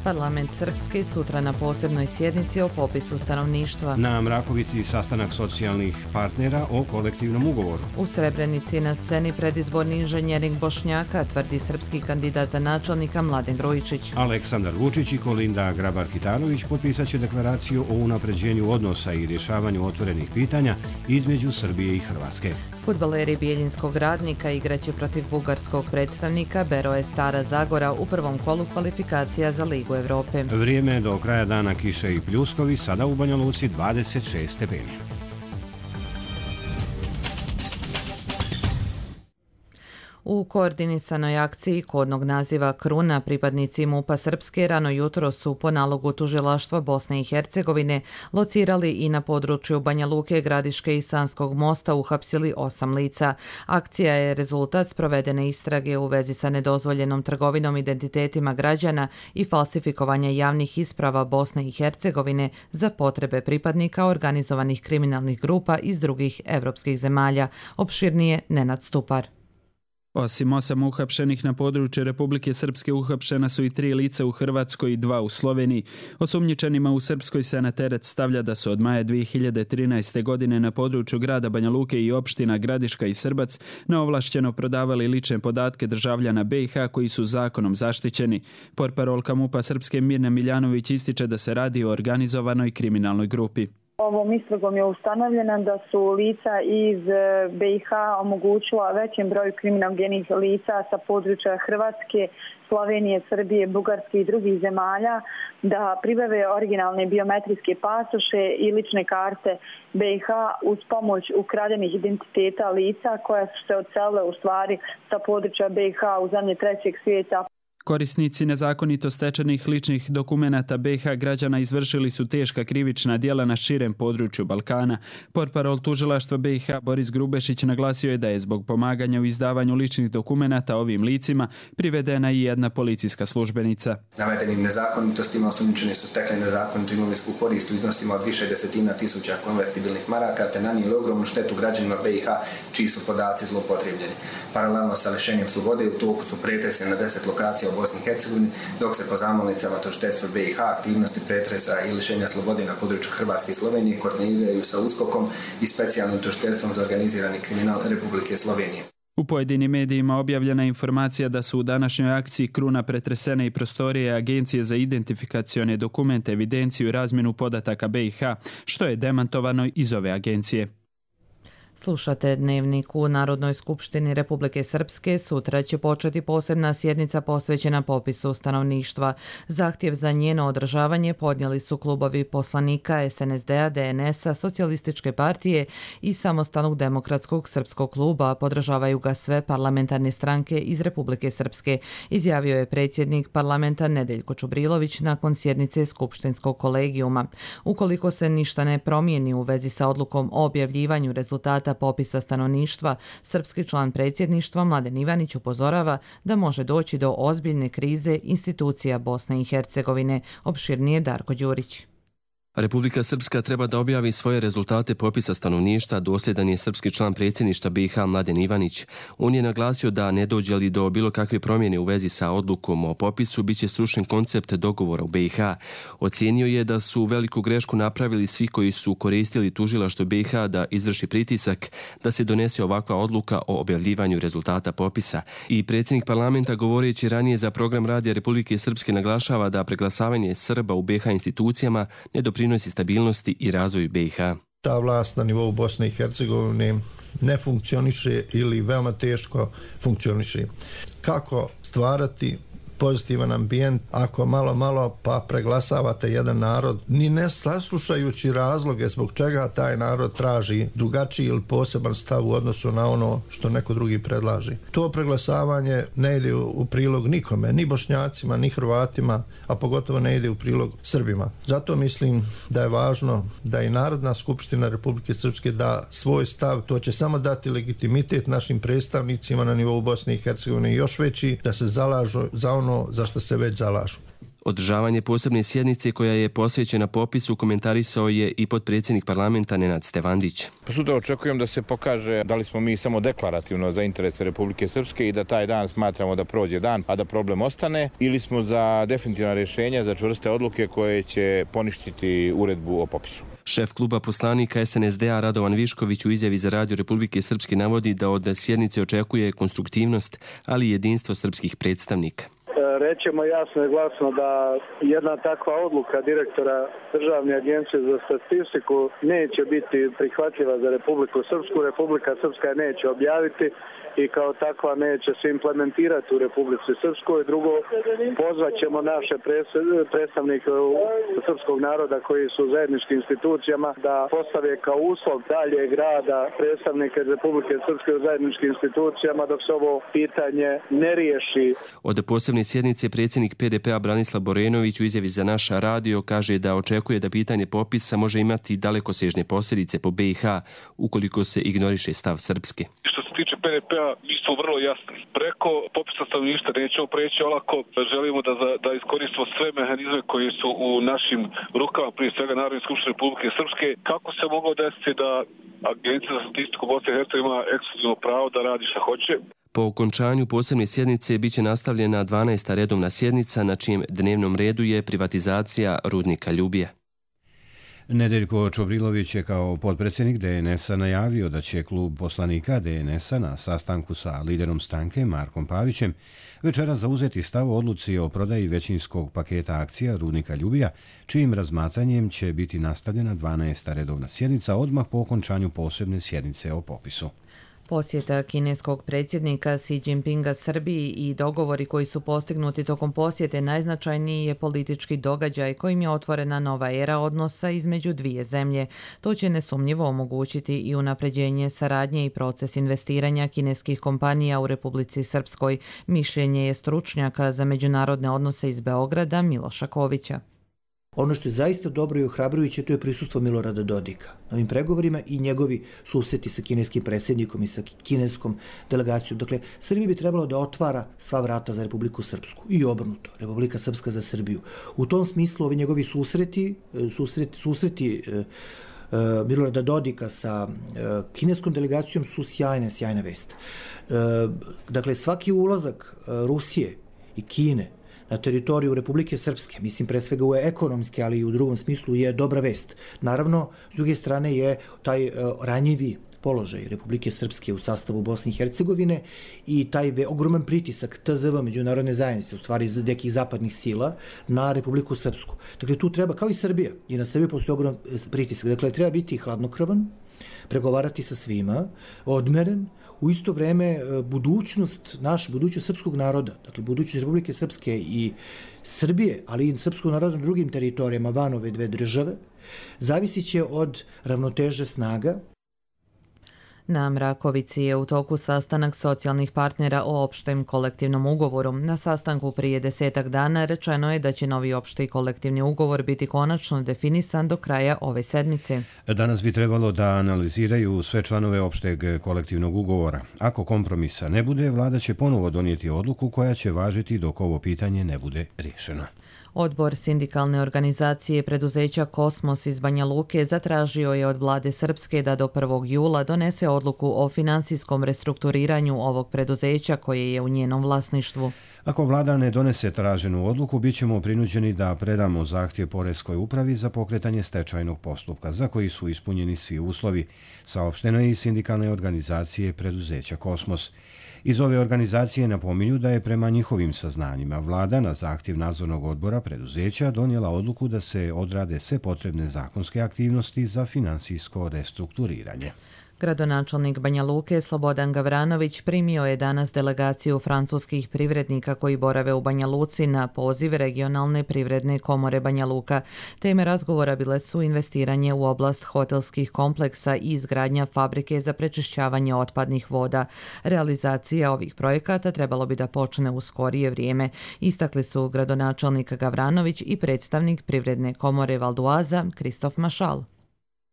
Parlament Srpske sutra na posebnoj sjednici o popisu stanovništva. Na Mrakovici sastanak socijalnih partnera o kolektivnom ugovoru. U Srebrenici na sceni predizborni inženjering Bošnjaka, tvrdi srpski kandidat za načelnika Mladen Grujičić. Aleksandar Vučić i Kolinda Grabar-Kitarović potpisat će deklaraciju o unapređenju odnosa i rješavanju otvorenih pitanja između Srbije i Hrvatske. Fudbaleri Bijeljinskog Radnika igraće protiv bugarskog predstavnika Beroe Stara Zagora u prvom kolu kvalifikacija za Ligu Evrope. Vrijeme do kraja dana kiše i pljuskovi, sada u Banja Luci 26 stepeni. U koordinisanoj akciji kodnog naziva Kruna pripadnici MUP-a Srpske rano jutro su po nalogu tužilaštva Bosne i Hercegovine locirali i na području Banja Luke, Gradiške i Sanskog mosta uhapsili 8 lica. Akcija je rezultat sprovedene istrage u vezi sa nedozvoljenom trgovinom identitetima građana i falsifikovanja javnih isprava Bosne i Hercegovine za potrebe pripadnika organizovanih kriminalnih grupa iz drugih evropskih zemalja. Opširnije Nenad Stupar. Osim 8 uhapšenih na području Republike Srpske uhapšena su i 3 lica u Hrvatskoj i 2 u Sloveniji. Osumnjičenima u Srpskoj se na teret stavlja da su od maja 2013. godine na području grada Banja Luke i opština Gradiška i Srbac neovlašćeno prodavali lične podatke državljana BiH koji su zakonom zaštićeni. Portparolka MUP-a Srpske Mirna Miljanović ističe da se radi o organizovanoj kriminalnoj grupi. Ovom istragom je ustanovljeno da su lica iz BiH omogućila većem broju kriminogenih lica sa područja Hrvatske, Slovenije, Srbije, Bugarske i drugih zemalja da pribave originalne biometrijske pasoše i lične karte BiH uz pomoć ukradenih identiteta lica koja su se odselile u stvari sa područja BiH u zemlje trećeg svijeta. Korisnici nezakonito stečenih ličnih dokumenata BiH građana izvršili su teška krivična djela na širem području Balkana. Portparol tužilaštva BiH Boris Grubešić naglasio je da je zbog pomaganja u izdavanju ličnih dokumenata ovim licima privedena i jedna policijska službenica. Navedenim nezakonitostima osumnjičeni su stekli nezakonitu imovinsku korist u iznosima od više desetina tisuća konvertibilnih maraka te nanijeli ogromnu štetu građanima BiH čiji su podaci zloupotrijebljeni. Paralelno sa lišenjem slobode u toku su pretresi na 10 lokacija u Bosni i Hercegovini, dok se po zamolnicama tužiteljstva BiH aktivnosti pretresa i lišenja slobode na području Hrvatske i Slovenije koordiniraju sa USKOK-om i specijalnim tužiteljstvom za organizirani kriminal Republike Slovenije. U pojedinim medijima objavljena je informacija da su u današnjoj akciji Kruna pretresene i prostorije Agencije za identifikacione dokumente, evidenciju i razmjenu podataka BiH, što je demantovano iz ove agencije. Slušate Dnevnik. U Narodnoj skupštini Republike Srpske sutra će početi posebna sjednica posvećena popisu stanovništva. Zahtjev za njeno održavanje podnijeli su klubovi poslanika SNSD-a, DNS-a, Socijalističke partije i Samostalnog demokratskog srpskog kluba. Podržavaju ga sve parlamentarne stranke iz Republike Srpske, izjavio je predsjednik parlamenta Nedeljko Čubrilović nakon sjednice skupštinskog kolegijuma. Ukoliko se ništa ne promijeni u vezi sa odlukom o objavljivanju rezultata popisa stanovništva, srpski član predsjedništva Mladen Ivanić upozorava da može doći do ozbiljne krize institucija Bosne i Hercegovine. Opširnije Darko Đurić. Republika Srpska treba da objavi svoje rezultate popisa stanovništva, dosljedan je srpski član predsjedništva BiH Mladen Ivanić. On je naglasio da ne dođe li do bilo kakve promjene u vezi sa odlukom o popisu, bit će srušen koncept dogovora u BiH. Ocijenio je da su veliku grešku napravili svi koji su koristili tužilaštvo BiH da izvrši pritisak da se donese ovakva odluka o objavljivanju rezultata popisa. I predsjednik parlamenta, govoreći ranije za program Radija Republike Srpske, naglašava da preglasavanje Srba u BiH institucijama ne doprinosi stabilnosti i razvoju BiH. Ta vlast na nivou Bosne i Hercegovine ne funkcioniše ili veoma teško funkcioniše. Kako stvarati pozitivan ambijent ako malo pa preglasavate jedan narod, ni ne saslušajući razloge zbog čega taj narod traži drugačiji ili poseban stav u odnosu na ono što neko drugi predlaži. To preglasavanje ne ide u prilog nikome, ni Bošnjacima, ni Hrvatima, a pogotovo ne ide u prilog Srbima. Zato mislim da je važno da i Narodna skupština Republike Srpske da svoj stav, to će samo dati legitimitet našim predstavnicima na nivou Bosne i Hercegovine još veći, da se zalažu za ono za što se već zalažu. Održavanje posebne sjednice koja je posvećena popisu komentarisao je i potpredsjednik parlamenta Nenad Stevandić. Sutra očekujem da se pokaže da li smo mi samo deklarativno za interese Republike Srpske i da taj dan smatramo da prođe dan, a da problem ostane, ili smo za definitivna rješenja, za čvrste odluke koje će poništiti uredbu o popisu. Šef kluba poslanika SNSD-a Radovan Višković u izjavi za Radio Republike Srpske navodi da od sjednice očekuje konstruktivnost, ali i jedinstvo srpskih predstavnika. Rećemo jasno i glasno da jedna takva odluka direktora Državne agencije za statistiku neće biti prihvatljiva za Republiku Srpsku. Republika Srpska je neće objaviti i kao takva neće se implementirati u Republici Srpskoj. Drugo, pozvaćemo naše predstavnike srpskog naroda koji su u zajedničkim institucijama da postave kao uslov daljeg rada predstavnike Republike Srpske u zajedničkim institucijama dok se ovo pitanje ne riješi. Od posebne sjednice predsjednik PDP-a Branislav Borenović u izjavi za naš radio kaže da očekuje da pitanje popisa može imati dalekosežne posljedice po BiH ukoliko se ignoriše stav Srpske. Što se tiče PDP-a, mi smo vrlo jasni. Preko popisa stanovništva nećemo preći olako. Želimo da iskoristimo sve mehanizme koji su u našim rukama, prije svega Narodne skupštine Republike Srpske. Kako se moglo desiti da Agencija za statistiku Bosne i Hercegovine ima ekskluzivno pravo da radi šta hoće? Po okončanju posebne sjednice biće nastavljena 12. redovna sjednica na čijem dnevnom redu je privatizacija rudnika Ljubija. Nedeljko Čobrilović je kao potpredsjednik DNS-a najavio da će klub poslanika DNS-a na sastanku sa liderom stranke Markom Pavićem večera zauzeti stav o odluci o prodaji većinskog paketa akcija rudnika Ljubija, čijim razmatranjem će biti nastavljena 12. redovna sjednica odmah po okončanju posebne sjednice o popisu. Posjeta kineskog predsjednika Xi Jinpinga Srbiji i dogovori koji su postignuti tokom posjete najznačajniji je politički događaj kojim je otvorena nova era odnosa između dvije zemlje. To će nesumnjivo omogućiti i unapređenje saradnje i proces investiranja kineskih kompanija u Republici Srpskoj, mišljenje je stručnjaka za međunarodne odnose iz Beograda Miloša Kovića. Ono što je zaista dobro i ohrabrujuće, to je prisustvo Milorada Dodika na ovim pregovorima i njegovi susreti sa kineskim predsjednikom i sa kineskom delegacijom. Dakle, Srbija bi trebalo da otvara sva vrata za Republiku Srpsku i obrnuto, Republika Srpska za Srbiju. U tom smislu ovi njegovi susreti Milorada Dodika sa kineskom delegacijom su sjajna vest. Dakle, svaki ulazak Rusije i Kine na teritoriju Republike Srpske, mislim pre svega u ekonomske, ali i u drugom smislu, je dobra vest. Naravno, s druge strane je taj ranjivi položaj Republike Srpske u sastavu Bosne i Hercegovine i taj ogroman pritisak TZV međunarodne zajednice, u stvari nekih zapadnih sila, na Republiku Srpsku. Dakle, tu treba, kao i Srbija, i na Srbiji postoji ogroman pritisak. Dakle, treba biti hladnokrvan, pregovarati sa svima, odmeren, u isto vreme budućnost srpskog naroda, dakle budućnost Republike Srpske i Srbije, ali i srpskog naroda na drugim teritorijama van ove dve države, zavisit će od ravnoteže snaga. Na Mrakovici je u toku sastanak socijalnih partnera o opštem kolektivnom ugovoru. Na sastanku prije 10 dana rečeno je da će novi opšti kolektivni ugovor biti konačno definisan do kraja ove sedmice. Danas bi trebalo da analiziraju sve članove opšteg kolektivnog ugovora. Ako kompromisa ne bude, vlada će ponovo donijeti odluku koja će važiti dok ovo pitanje ne bude riješeno. Odbor sindikalne organizacije preduzeća Kosmos iz Banja Luke zatražio je od vlade Srpske da do 1. jula donese odluku o finansijskom restrukturiranju ovog preduzeća koje je u njenom vlasništvu. Ako vlada ne donese traženu odluku, bit ćemo prinuđeni da predamo zahtjev Poreskoj upravi za pokretanje stečajnog postupka, za koji su ispunjeni svi uslovi, saopšteno je iz sindikalne organizacije preduzeća Kosmos. Iz ove organizacije napominju da je prema njihovim saznanjima vlada na zahtjev nadzornog odbora preduzeća donijela odluku da se odrade sve potrebne zakonske aktivnosti za finansijsko restrukturiranje. Gradonačelnik Banja Luke Slobodan Gavranović primio je danas delegaciju francuskih privrednika koji borave u Banja Luci na poziv regionalne privredne komore Banja Luka. Teme razgovora bile su investiranje u oblast hotelskih kompleksa i izgradnja fabrike za prečišćavanje otpadnih voda. Realizacija ovih projekata trebalo bi da počne u skorije vrijeme, istakli su gradonačelnik Gavranović i predstavnik privredne komore Valduaza Kristof Mašal.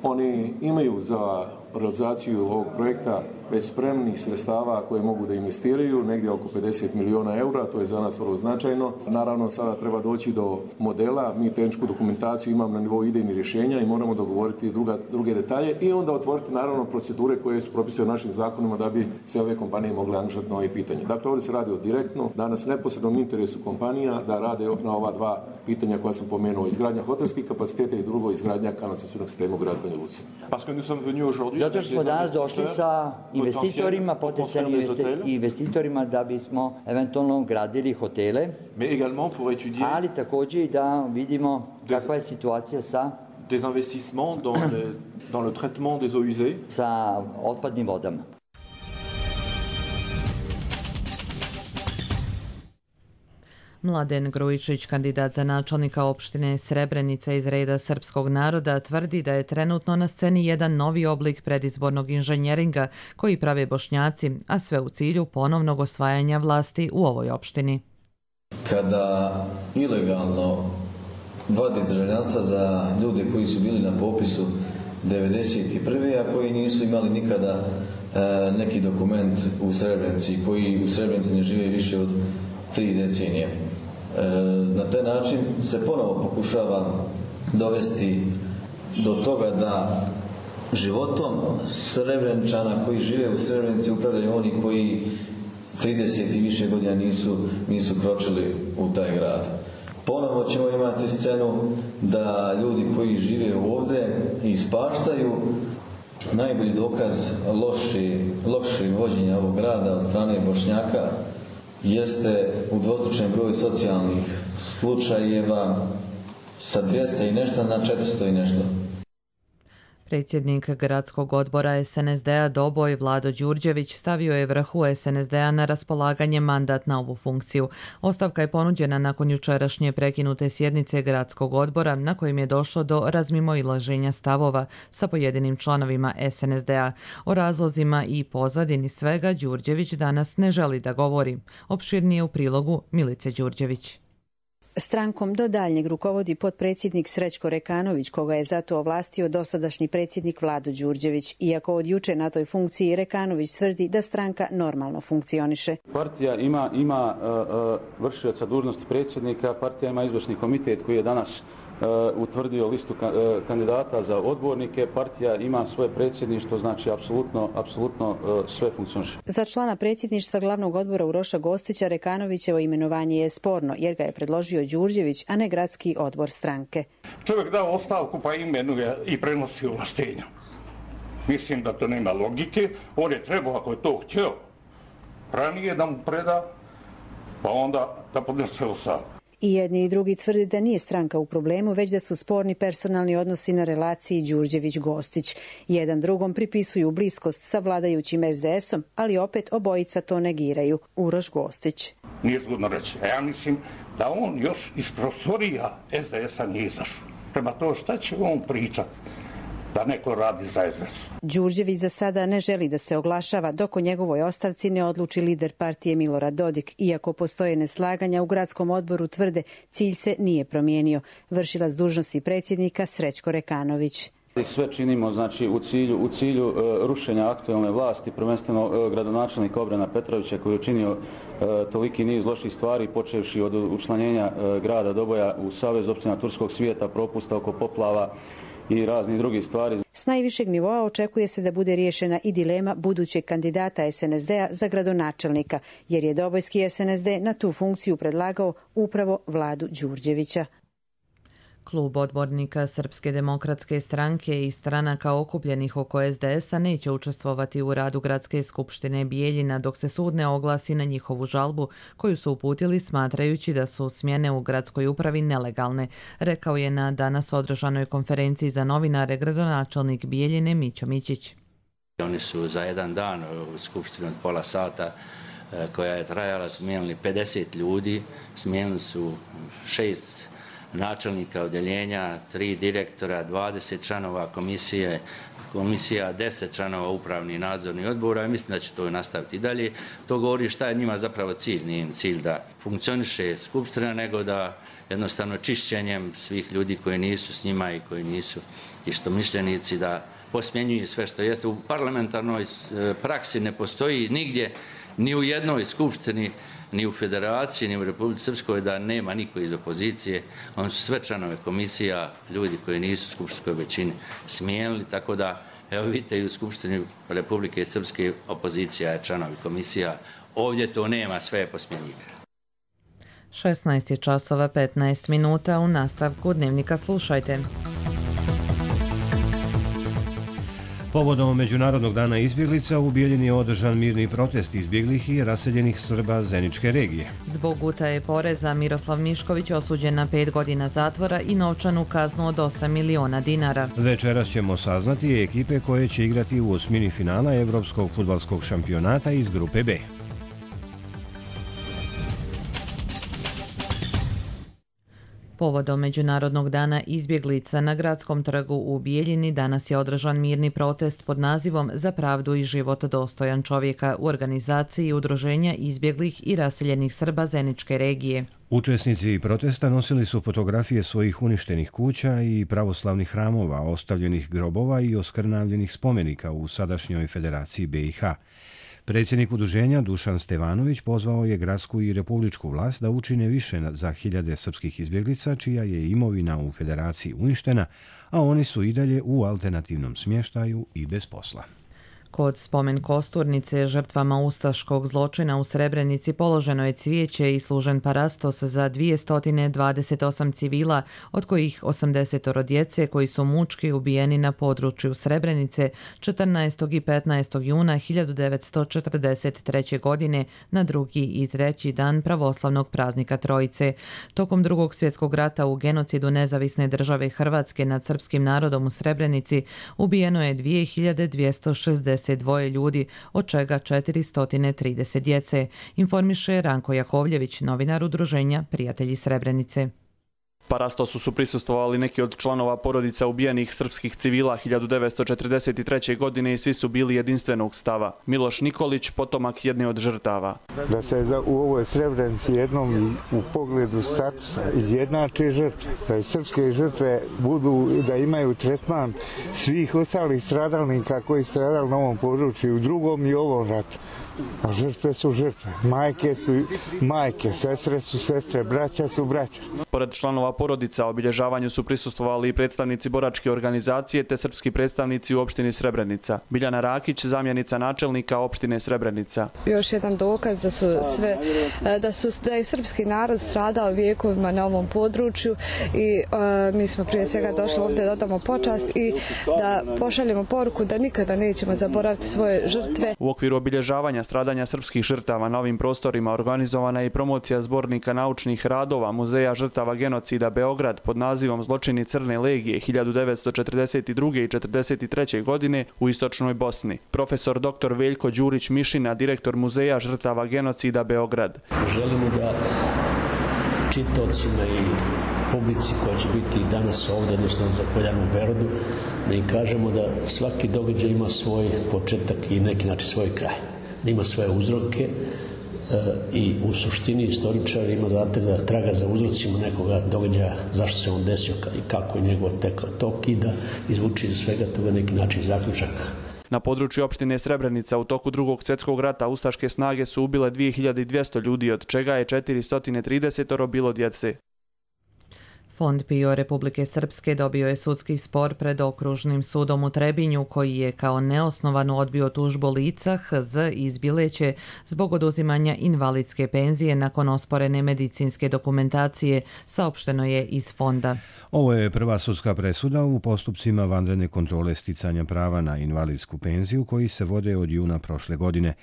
Oni imaju za realizaciju ovog projekta već spremnih sredstava koje mogu da investiraju, negdje oko 50 miliona eura, to je za nas vrlo značajno. Naravno, sada treba doći do modela, mi tehničku dokumentaciju imamo na nivou idejnih rješenja i moramo dogovoriti druge detalje i onda otvoriti naravno procedure koje su propisane u našim zakonima da bi sve ove kompanije mogle angažati na ove pitanje. Dakle, ovdje se radi o direktno, danas neposrednom interesu kompanija da rade na ova dva pitanja koja sam pomenuo, izgradnja hotelskih kapaciteta i drugo izgradnja kanalizacionog sistema u gradu Banja Luci. Zato što smo danas došli sa investitorima, potencijalnim investitorima da bismo eventualno gradili hotele, ali također i da vidimo kakva je situacija sa des investissements dans le traitement des eaux usées sa otpadnim vodama. Mladen Grujičić, kandidat za načelnika opštine Srebrenica iz reda srpskog naroda, tvrdi da je trenutno na sceni jedan novi oblik predizbornog inženjeringa koji prave Bošnjaci, a sve u cilju ponovnog osvajanja vlasti u ovoj opštini. Kada ilegalno vade državljanstva za ljude koji su bili na popisu 1991. a koji nisu imali nikada neki dokument u Srebrenici, koji u Srebrenici ne žive više od 3 decenije. Na taj način se ponovo pokušava dovesti do toga da životom Srebreničana koji žive u Srebrenici upravljaju oni koji 30 i više godina nisu kročili u taj grad. Ponovo ćemo imati scenu da ljudi koji žive ovdje ispaštaju. Najbolji dokaz lošeg vođenja ovog grada od strane Bošnjaka jeste u dvostručnom broju socijalnih slučajeva sa 200 i nešto na 400 i nešto. Predsjednik gradskog odbora SNSD-a Doboj Vlado Đurđević stavio je vrhu SNSD-a na raspolaganje mandat na ovu funkciju. Ostavka je ponuđena nakon jučerašnje prekinute sjednice gradskog odbora na kojim je došlo do razmimoilaženja stavova sa pojedinim članovima SNSD-a. O razlozima i pozadini svega Đurđević danas ne želi da govori. Opširnije u prilogu Milice Đurđević. Strankom do daljnjeg rukovodi potpredsjednik Srećko Rekanović, koga je zato ovlastio dosadašnji predsjednik Vlado Đurđević. Iako od juče na toj funkciji Rekanović tvrdi da stranka normalno funkcioniše. Partija ima vršioca dužnosti predsjednika, partija ima izvršni komitet koji je danas utvrdio listu kandidata za odbornike, partija ima svoje predsjedništvo, znači apsolutno sve funkcioniše. Za člana predsjedništva glavnog odbora Uroša Gostića Rekanovićevo imenovanje je sporno jer ga je predložio Đurđević, a ne gradski odbor stranke. Čovjek dao ostavku pa imenuje i prenosi ovlaštenja. Mislim da to nema logike. On je trebao, ako je to htio, ranije da mu preda, pa onda da podnese ostavku. I jedni i drugi tvrdi da nije stranka u problemu, već da su sporni personalni odnosi na relaciji Đurđević-Gostić. Jedan drugom pripisuju bliskost sa vladajućim SDS-om, ali opet obojica to negiraju. Uroš Gostić. Nije zgodno reći. Ja mislim da on još iz prostorija SDS-a nije izašao. Prema to šta će on pričati? Da neko radi za SDS. Đurđević za sada ne želi da se oglašava dok o njegovoj ostavci ne odluči lider partije Milorad Dodik. Iako postoje neslaganja u gradskom odboru tvrde, cilj se nije promijenio. Vršilac dužnosti predsjednika Srećko Rekanović. Sve činimo znači u cilju rušenja aktualne vlasti, prvenstveno gradonačelnika Obrana Petrovića koji je učinio toliki niz loših stvari, počevši od učlanjenja grada Doboja u Savez općina Turskog svijeta, propusta oko poplava i raznih drugih stvari. S najvišeg nivoa očekuje se da bude riješena i dilema budućeg kandidata SNSD-a za gradonačelnika, jer je dobojski SNSD na tu funkciju predlagao upravo Vladu Đurđevića. Klub odbornika Srpske demokratske stranke i stranaka okupljenih oko SDS-a neće učestvovati u radu Gradske skupštine Bijeljina dok se sud ne oglasi na njihovu žalbu koju su uputili smatrajući da su smjene u gradskoj upravi nelegalne, rekao je na danas održanoj konferenciji za novinare gradonačelnik Bijeljine Mićo Mićić. Oni su za jedan dan u skupštini od pola sata koja je trajala smijenili 50 ljudi, smijenili su 6 načelnika odjeljenja, 3 direktora, 20 članova komisija, 10 članova upravnih nadzornih odbora i mislim da će to nastaviti dalje. To govori šta je njima zapravo cilj. Nije im cilj da funkcioniše skupština, nego da jednostavno čišćenjem svih ljudi koji nisu s njima i koji nisu istomišljenici da posmjenjuje sve što jeste. U parlamentarnoj praksi ne postoji nigdje, ni u jednoj skupštini, ni u federaciji, ni u Republici Srpskoj da nema niko iz opozicije. Oni su sve članove komisija, ljudi koji nisu u skupštinskoj većini smijenili, tako da, evo vidite, i u Skupštini Republike Srpske opozicija je članovi komisija. Ovdje to nema, sve je posmjenjivano. 16:15 u nastavku Dnevnika slušajte. Povodom Međunarodnog dana izbjeglica u Bijeljini je održan mirni protest izbjeglih i raseljenih Srba Zeničke regije. Zbog utaje poreza Miroslav Mišković osuđen na 5 godina zatvora i novčanu kaznu od 8 miliona dinara. Večeras ćemo saznati ekipe koje će igrati u osmini finala Evropskog fudbalskog šampionata iz grupe B. Povodom Međunarodnog dana izbjeglica na Gradskom trgu u Bijeljini danas je održan mirni protest pod nazivom Za pravdu i život dostojan čovjeka u organizaciji Udruženja izbjeglih i raseljenih Srba Zeničke regije. Učesnici protesta nosili su fotografije svojih uništenih kuća i pravoslavnih hramova, ostavljenih grobova i oskrnavljenih spomenika u sadašnjoj Federaciji BiH. Predsjednik udruženja Dušan Stevanović pozvao je gradsku i republičku vlast da učine više za hiljade srpskih izbjeglica čija je imovina u Federaciji uništena, a oni su i dalje u alternativnom smještaju i bez posla. Kod spomen kosturnice žrtvama ustaškog zločina u Srebrenici položeno je cvijeće i služen parastos za 228 civila, od kojih 80 djece koji su mučki ubijeni na području Srebrenice 14. i 15. juna 1943. godine na drugi i treći dan pravoslavnog praznika Trojice. Tokom Drugog svjetskog rata u genocidu Nezavisne države Hrvatske nad srpskim narodom u Srebrenici ubijeno je 2262 ljudi, od čega 430 djece, informiše Ranko Jakovljević, novinar udruženja Prijatelji Srebrenice. Parastosu su prisustvovali neki od članova porodica ubijenih srpskih civila 1943. godine i svi su bili jedinstvenog stava. Miloš Nikolić, potomak jedne od žrtava. Da se u ovoj Srebrenici jednom u pogledu statusa izjednače žrtve, da i srpske žrtve budu, da imaju tretman svih ostalih stradalnika koji stradali na ovom području u drugom i ovom ratu. A žrtve su žrtve, majke su majke, sestre su sestre, braća su braća. Pored članova porodica obilježavanju su prisustvovali i predstavnici boračke organizacije te srpski predstavnici u opštini Srebrenica. Biljana Rakić, zamjenica načelnika opštine Srebrenica. Još jedan dokaz da je srpski narod stradao vijekovima na ovom području i mi smo prije svega došli ovdje da odamo počast i da pošaljemo poruku da nikada nećemo zaboraviti svoje žrtve. U okviru obilježavanja stradanja srpskih žrtava na ovim prostorima organizovana je i promocija zbornika naučnih radova Muzeja žrtava genocida Beograd pod nazivom Zločini Crne legije 1942. i 1943. godine u istočnoj Bosni. Profesor dr. Veljko Đurić Mišina, direktor Muzeja žrtava genocida Beograd. Želimo da čitaocima i publici koja će biti danas ovdje, odnosno za Poljanu Berodu, da im kažemo da svaki događaj ima svoj početak i neki način svoj kraj. Da ima svoje uzroke i u suštini istoričar ima zadatak da traga za uzrocima nekoga događaja, zašto se on desio i kako je njegov tok i da izvuči iz svega toga neki način zaključak. Na području opštine Srebrenica u toku Drugog svjetskog rata ustaške snage su ubile 2200 ljudi, od čega je 430 bilo djece. Fond PIO Republike Srpske dobio je sudski spor pred okružnim sudom u Trebinju koji je kao neosnovano odbio tužbu lica HZ iz Bileće zbog oduzimanja invalidske penzije nakon osporene medicinske dokumentacije, saopšteno je iz fonda. Ovo je prva sudska presuda u postupcima vanredne kontrole sticanja prava na invalidsku penziju koji se vode od juna prošle godine.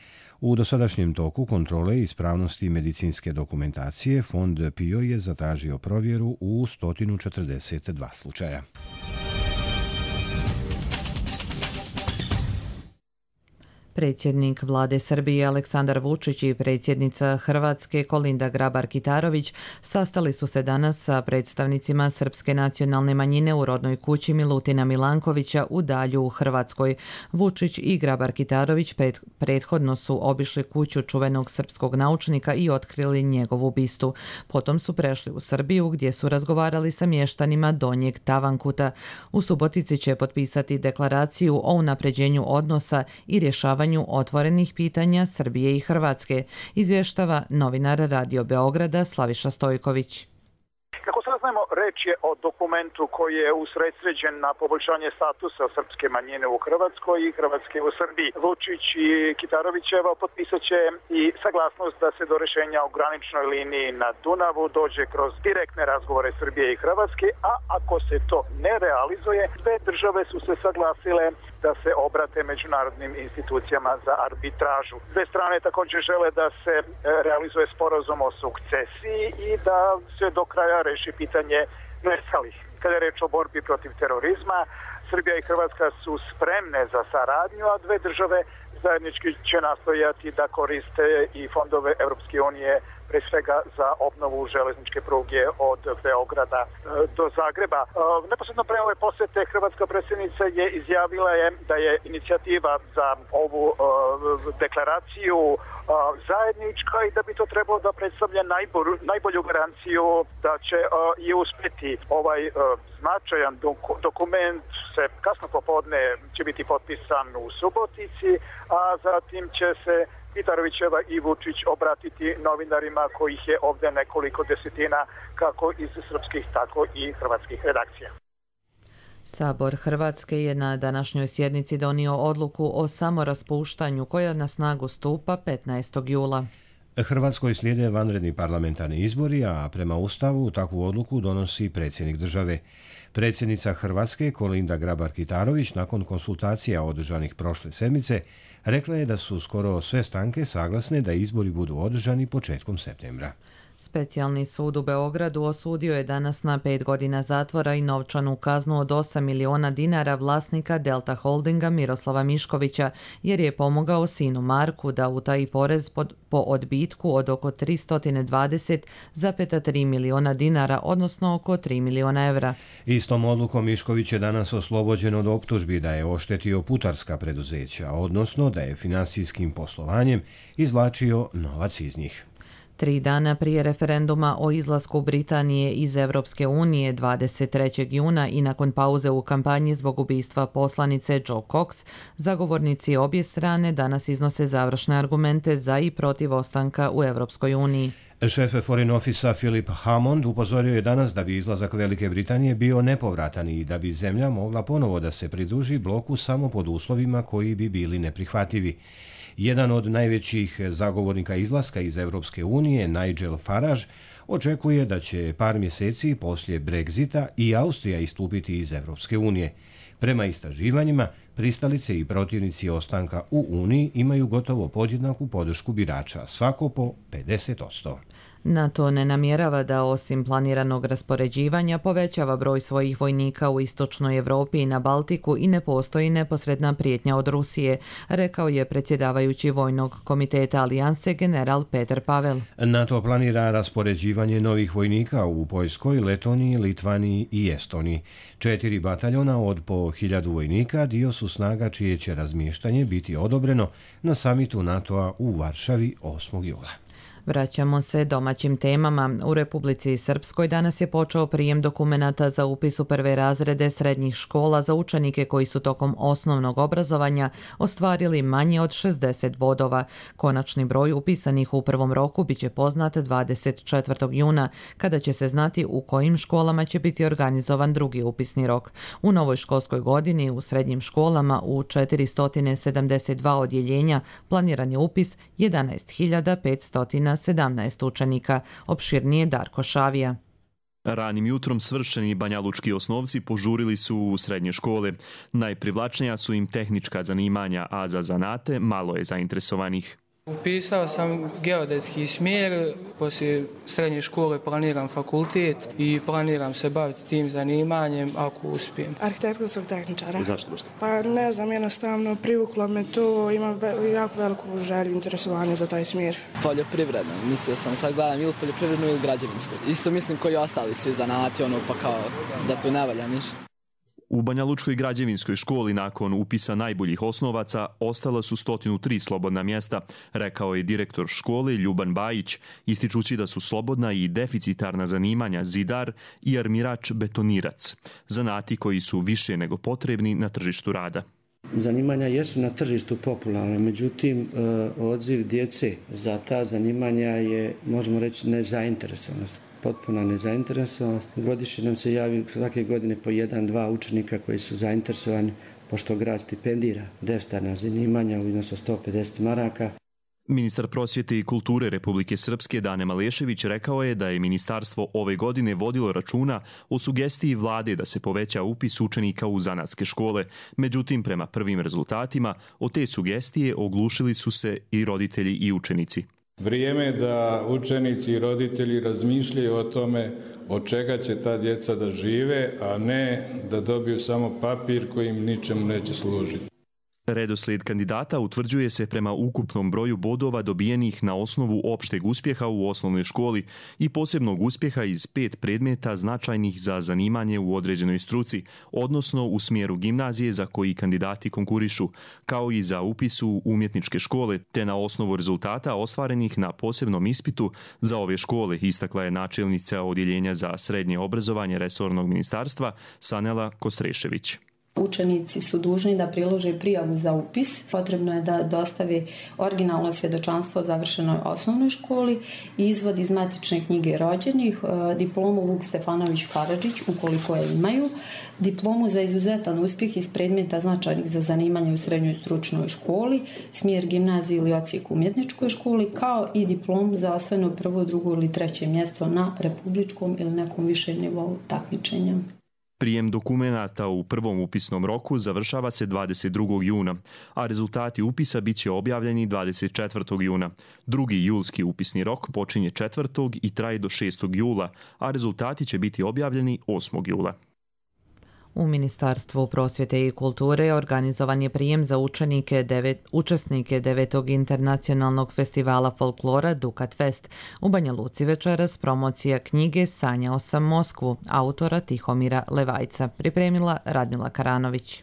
U dosadašnjem toku kontrole ispravnosti medicinske dokumentacije Fond PIO je zatražio provjeru u 142 slučaja. Predsjednik vlade Srbije Aleksandar Vučić i predsjednica Hrvatske Kolinda Grabar-Kitarović sastali su se danas sa predstavnicima srpske nacionalne manjine u rodnoj kući Milutina Milankovića u Dalju u Hrvatskoj. Vučić i Grabar-Kitarović prethodno su obišli kuću čuvenog srpskog naučnika i otkrili njegovu bistu. Potom su prešli u Srbiju gdje su razgovarali sa mještanima Donjeg Tavankuta. U Subotici će potpisati deklaraciju o unapređenju odnosa i rješavanju otvorenih pitanja Srbije i Hrvatske, izvještava novinar Radio Beograda Slaviša Stojković. Kako saznajemo, reč je o dokumentu koji je usredsređen na poboljšanje statusa srpske manjine u Hrvatskoj i Hrvatske u Srbiji. Vučić i Kitarovićeva potpisat će i saglasnost da se do rješenja o graničnoj liniji na Dunavu dođe kroz direktne razgovore Srbije i Hrvatske, a ako se to ne realizuje, dve države su se saglasile da se obrate međunarodnim institucijama za arbitražu. Dve strane također žele da se realizuje sporazum o sukcesiji i da se do kraja reši pitanje nestalih. Kada je reč o borbi protiv terorizma, Srbija i Hrvatska su spremne za saradnju, a dve države zajednički će nastojati da koriste i fondove Europske unije, pre svega za obnovu železničke pruge od Beograda do Zagreba. Neposredno pre ove posete hrvatska predsjednica je izjavila da je inicijativa za ovu deklaraciju zajednička i da bi to trebalo da predstavlja najbolju garanciju da će i uspjeti ovaj značajan dokument. Se kasno popodne će biti potpisan u Subotici, a zatim će se Kitarovićeva i Vučić obratiti novinarima kojih je ovdje nekoliko desetina kako iz srpskih tako i hrvatskih redakcija. Sabor Hrvatske je na današnjoj sjednici donio odluku o samoraspuštanju koja na snagu stupa 15. jula. Hrvatskoj slijede vanredni parlamentarni izbori, a prema Ustavu takvu odluku donosi predsjednik države. Predsjednica Hrvatske Kolinda Grabar-Kitarović nakon konsultacija održanih prošle sedmice rekla je da su skoro sve stranke saglasne da izbori budu održani početkom septembra. Specijalni sud u Beogradu osudio je danas na 5 godina zatvora i novčanu kaznu od 8 miliona dinara vlasnika Delta Holdinga Miroslava Miškovića, jer je pomogao sinu Marku da utaji porez po odbitku od oko 320,3 miliona dinara, odnosno oko 3 miliona evra. Istom odlukom Mišković je danas oslobođen od optužbi da je oštetio putarska preduzeća, odnosno da je finansijskim poslovanjem izvlačio novac iz njih. 3 dana prije referenduma o izlasku Britanije iz Europske unije 23. juna i nakon pauze u kampanji zbog ubistva poslanice Joe Cox, zagovornici obje strane danas iznose završne argumente za i protiv ostanka u Europskoj uniji. Šef Foreign Office Philip Hammond upozorio je danas da bi izlazak Velike Britanije bio nepovratan i da bi zemlja mogla ponovo da se pridruži bloku samo pod uslovima koji bi bili neprihvatljivi. Jedan od najvećih zagovornika izlaska iz Europske unije, Nigel Farage, očekuje da će par mjeseci poslije Brexita i Austrija istupiti iz Europske unije. Prema istraživanjima, pristalice i protivnici ostanka u Uniji imaju gotovo podjednaku podršku birača, svako po 50%. NATO ne namjerava da osim planiranog raspoređivanja povećava broj svojih vojnika u istočnoj Europi i na Baltiku i ne postoji neposredna prijetnja od Rusije, rekao je predsjedavajući Vojnog komiteta Alijanse general Peter Pavel. NATO planira raspoređivanje novih vojnika u Poljskoj, Letoniji, Litvaniji i Estoniji. 4 bataljona od po 1000 vojnika dio su snaga čije će razmještanje biti odobreno na samitu NATO-a u Varšavi 8. jula. Vraćamo se domaćim temama. U Republici Srpskoj danas je počeo prijem dokumenata za upis u prve razrede srednjih škola za učenike koji su tokom osnovnog obrazovanja ostvarili manje od 60 bodova. Konačni broj upisanih u prvom roku biće poznat 24. juna, kada će se znati u kojim školama će biti organizovan drugi upisni rok. U novoj školskoj godini u srednjim školama u 472 odjeljenja planiran je upis 11.517 učenika, opširnije Darko Šavija. Ranim jutrom svršeni banjalučki osnovci požurili su u srednje škole. Najprivlačnija su im tehnička zanimanja, a za zanate malo je zainteresovanih. Upisao sam geodetski smjer, poslije srednje škole planiram fakultet i planiram se baviti tim zanimanjem ako uspijem. Arhitektonskog tehničara. Zašto baš? Pa ne znam, jednostavno privuklo me to, imam jako veliku želju, interesovanje za taj smjer. Poljoprivredno, mislio sam, sad gledam ili poljoprivrednu ili građevinsku. Isto mislim koji ostali svi zanati, pa kao da tu ne valja ništa. U Banjalučkoj građevinskoj školi nakon upisa najboljih osnovaca ostala su 103 slobodna mjesta, rekao je direktor škole Ljuban Bajić, ističući da su slobodna i deficitarna zanimanja zidar i armirač betonirac, zanati koji su više nego potrebni na tržištu rada. Zanimanja jesu na tržištu popularne, međutim odziv djece za ta zanimanja je, možemo reći, nezainteresovanost. Potpuna nezainteresovanost. Godišnje nam se javi svake godine po 1-2 učenika koji su zainteresovani, pošto grad stipendira deficitarna zanimanja u iznosu 150 maraka. Ministar prosvjete i kulture Republike Srpske Dane Malešević rekao je da je ministarstvo ove godine vodilo računa o sugestiji vlade da se poveća upis učenika u zanatske škole. Međutim, prema prvim rezultatima, od te sugestije oglušili su se i roditelji i učenici. Vrijeme je da učenici i roditelji razmišljaju o tome od čega će ta djeca da žive, a ne da dobiju samo papir koji im ničemu neće služiti. Redoslijed kandidata utvrđuje se prema ukupnom broju bodova dobijenih na osnovu opšteg uspjeha u osnovnoj školi i posebnog uspjeha iz 5 predmeta značajnih za zanimanje u određenoj struci, odnosno u smjeru gimnazije za koji kandidati konkurišu, kao i za upis u umjetničke škole, te na osnovu rezultata ostvarenih na posebnom ispitu za ove škole, istakla je načelnica Odjeljenja za srednje obrazovanje resornog ministarstva Sanela Kostrešević. Učenici su dužni da prilože prijavu za upis. Potrebno je da dostave originalno svjedočanstvo o završenoj osnovnoj školi, izvod iz matične knjige rođenih, diplomu Vuk Stefanović Karadžić ukoliko je imaju, diplomu za izuzetan uspjeh iz predmeta značajnih za zanimanje u srednjoj stručnoj školi, smjer gimnazije ili odsjek u umjetničkoj školi, kao i diplomu za osvojeno prvo, drugo ili treće mjesto na republičkom ili nekom višem nivou takmičenja. Prijem dokumenata u prvom upisnom roku završava se 22. juna, a rezultati upisa bit će objavljeni 24. juna. Drugi julski upisni rok počinje 4. i traje do 6. jula, a rezultati će biti objavljeni 8. jula. U Ministarstvu prosvjete i kulture organizovan je prijem za učesnike 9. internacionalnog festivala folklora Dukat Fest. U Banja Luci večeras promocija knjige Sanjao sam Moskvu, autora Tihomira Levajca, pripremila Radmila Karanović.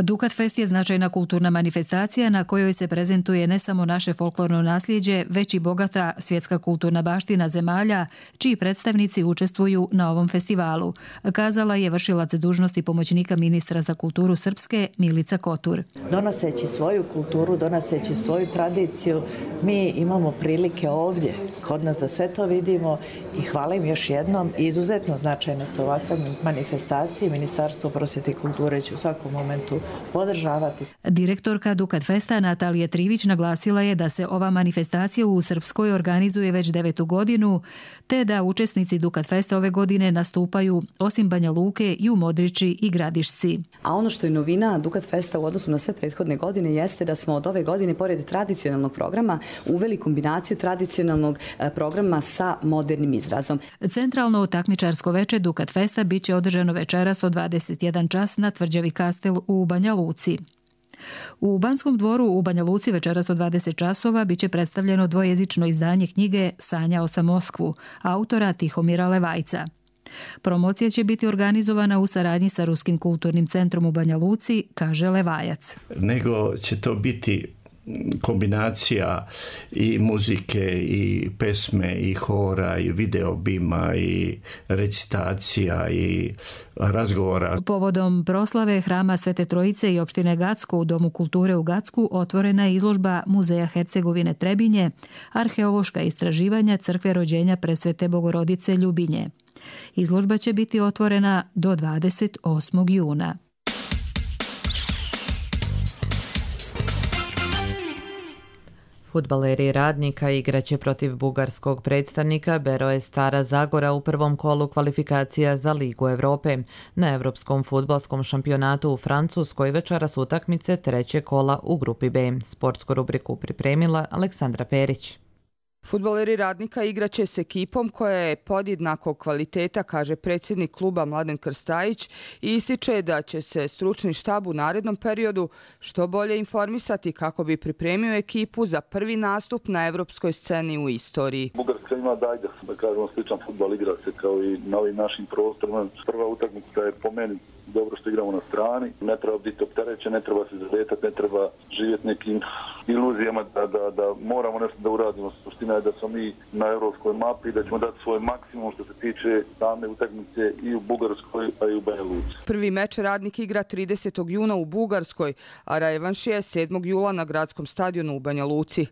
Dukat Fest je značajna kulturna manifestacija na kojoj se prezentuje ne samo naše folklorno nasljeđe, već i bogata svjetska kulturna baština zemalja, čiji predstavnici učestvuju na ovom festivalu, kazala je vršilac dužnosti pomoćnika ministra za kulturu Srpske Milica Kotur. Donoseći svoju kulturu, donoseći svoju tradiciju, mi imamo prilike ovdje kod nas da sve to vidimo i hvala im još jednom. Izuzetno značajne su ovakve manifestacije. Ministarstvo prosvjete i kulture će u svakom momentu podržavati. Direktorka Dukat Festa Natalija Trivić naglasila je da se ova manifestacija u Srpskoj organizuje već 9. godinu, te da učesnici Dukat Festa ove godine nastupaju osim Banja Luke i u Modriči i Gradišci. A ono što je novina Dukat Festa u odnosu na sve prethodne godine jeste da smo od ove godine, pored tradicionalnog programa, uveli kombinaciju tradicionalnog programa sa modernim izrazom. Centralno takmičarsko veče Dukat Festa bit će održano večeras od 21 čas na Tvrđavi Kastel u Banja Luci. U Banskom dvoru u Banja Luci večeras od 20 časova biće predstavljeno dvojezično izdanje knjige Sanjao sam Moskvu, autora Tihomira Levajca. Promocija će biti organizovana u saradnji sa Ruskim kulturnim centrom u Banja Luci, kaže Levajac. Nego će to biti kombinacija i muzike i pesme i hora i videobima i recitacija i razgovora. Povodom proslave Hrama Svete Trojice i opštine Gacko u Domu kulture u Gacku otvorena je izložba Muzeja Hercegovine Trebinje, arheološka istraživanja crkve rođenja Presvete Bogorodice Ljubinje. Izložba će biti otvorena do 28. juna. Fudbaleri Radnika igraće protiv bugarskog predstavnika Beroe Stara Zagora u prvom kolu kvalifikacija za Ligu Europe. Na Evropskom fudbalskom šampionatu u Francuskoj večeras utakmice treće kola u grupi B. Sportsku rubriku pripremila Aleksandra Perić. Fudbaleri Radnika igraće s ekipom koja je podjednakog kvaliteta, kaže predsjednik kluba Mladen Krstajić, i ističe da će se stručni štab u narednom periodu što bolje informisati kako bi pripremio ekipu za prvi nastup na evropskoj sceni u istoriji. Bugarska ima da kažemo sličan fudbal, igra se kao i na ovim našim prostorima. Prva utakmica je po meni dobro što igramo na strani, ne treba biti opterećen, ne treba se zaletati, ne treba živjeti nekim iluzijama da moramo nešto da uradimo. Suština je da smo mi na evropskoj mapi i da ćemo dati svoj maksimum što se tiče same utakmice i u Bugarskoj, a i u Banja Luci. Prvi meč Radnik igra 30. juna u Bugarskoj, a revanš je 7. jula na gradskom stadionu u Banja Luci.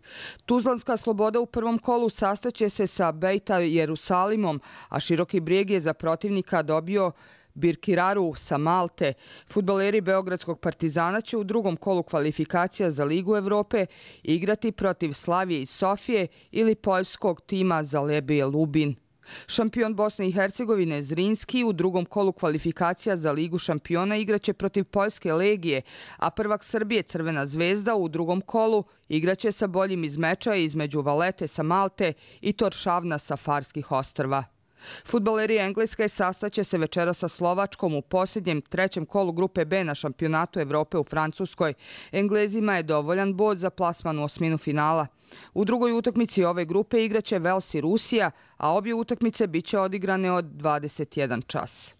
Tuzlanska Sloboda u prvom kolu sastaće se sa Bejta Jerusalimom, a Široki Brijeg je za protivnika dobio Birkiraru sa Malte. Fudbaleri Beogradskog Partizana će u drugom kolu kvalifikacija za Ligu Europe igrati protiv Slavije iz Sofije ili poljskog tima Zalebije Lubin. Šampion Bosne i Hercegovine Zrinski u drugom kolu kvalifikacija za Ligu šampiona igraće protiv Poljske Legije, a prvak Srbije Crvena zvezda u drugom kolu igraće sa boljim iz meča između Valete sa Malte i Toršavna sa Farskih ostrva. Fudbaleri Engleske sastaće se večera sa Slovačkom u posljednjem trećem kolu grupe B na šampionatu Evrope u Francuskoj. Englezima je dovoljan bod za plasman u osminu finala. U drugoj utakmici ove grupe igraće Vels i Rusija, a obje utakmice biće odigrane od 21 čas.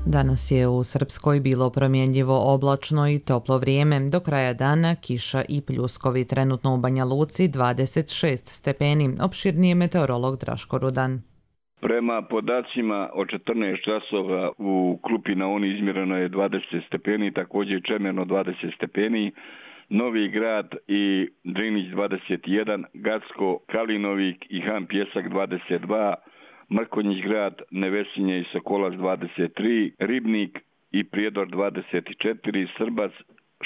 Danas je u Srpskoj bilo promjenjivo oblačno i toplo vrijeme. Do kraja dana kiša i pljuskovi. Trenutno u Banja Luci 26 stepeni. Opširnije meteorolog Draško Rudan. Prema podacima od 14 časova u Klupi na Oni izmjereno je 20 stepeni, također Čemerno 20 stepeni, Novi Grad i Drinić 21, Gacko, Kalinovik i Han Pjesak 22, Mrkonjić grad, Nevesinje i Sokolac 23, Ribnik i Prijedor 24, Srbac,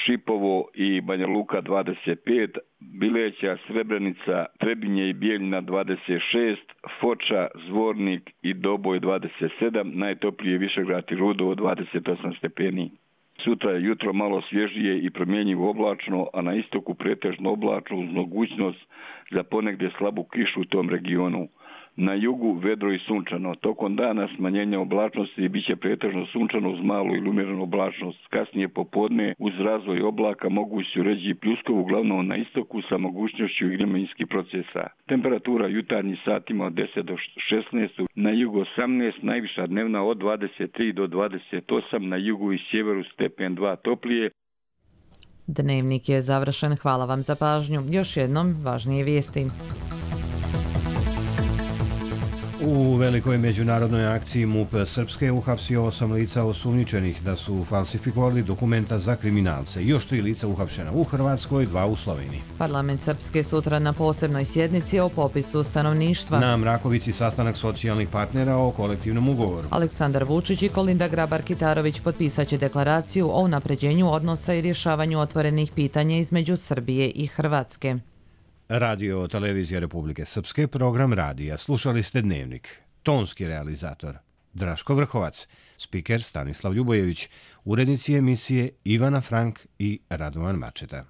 Šipovo i Banja Luka 25, Bileća, Srebrenica, Trebinje i Bijeljina 26, Foča, Zvornik i Doboj 27, najtoplije Višegrad i Rudovo 28 stepeni. Sutra je jutro malo svježije i promjenjivo oblačno, a na istoku pretežno oblačno uz mogućnost za ponegdje slabu kišu u tom regionu. Na jugu vedro i sunčano. Tokom dana smanjenja oblačnosti biće pretežno sunčano uz malu ili umjerenu oblačnost. Kasnije popodne uz razvoj oblaka mogući su ređi pljuskovi uglavnom na istoku sa mogućnošću vremenskih procesa. Temperatura jutarnjih satima od 10 do 16, na jugu 18, najviša dnevna od 23 do 28, na jugu i sjeveru stepen 2 toplije. Dnevnik je završen. Hvala vam za pažnju. Još jednom važnije vijesti. U velikoj međunarodnoj akciji MUP Srpske uhapsio 8 lica osumnjičenih da su falsifikovali dokumenta za kriminalce. Još 3 lica uhapšena u Hrvatskoj, 2 u Sloveniji. Parlament Srpske sutra na posebnoj sjednici o popisu stanovništva. Na Mrakovici sastanak socijalnih partnera o kolektivnom ugovoru. Aleksandar Vučić i Kolinda Grabar-Kitarović potpisat će deklaraciju o unapređenju odnosa i rješavanju otvorenih pitanja između Srbije i Hrvatske. Radio Televizija Republike Srpske, program radija. Slušali ste Dnevnik. Tonski realizator Draško Vrhovac, spiker Stanislav Ljubojević, urednici emisije Ivana Frank i Radovan Mačeta.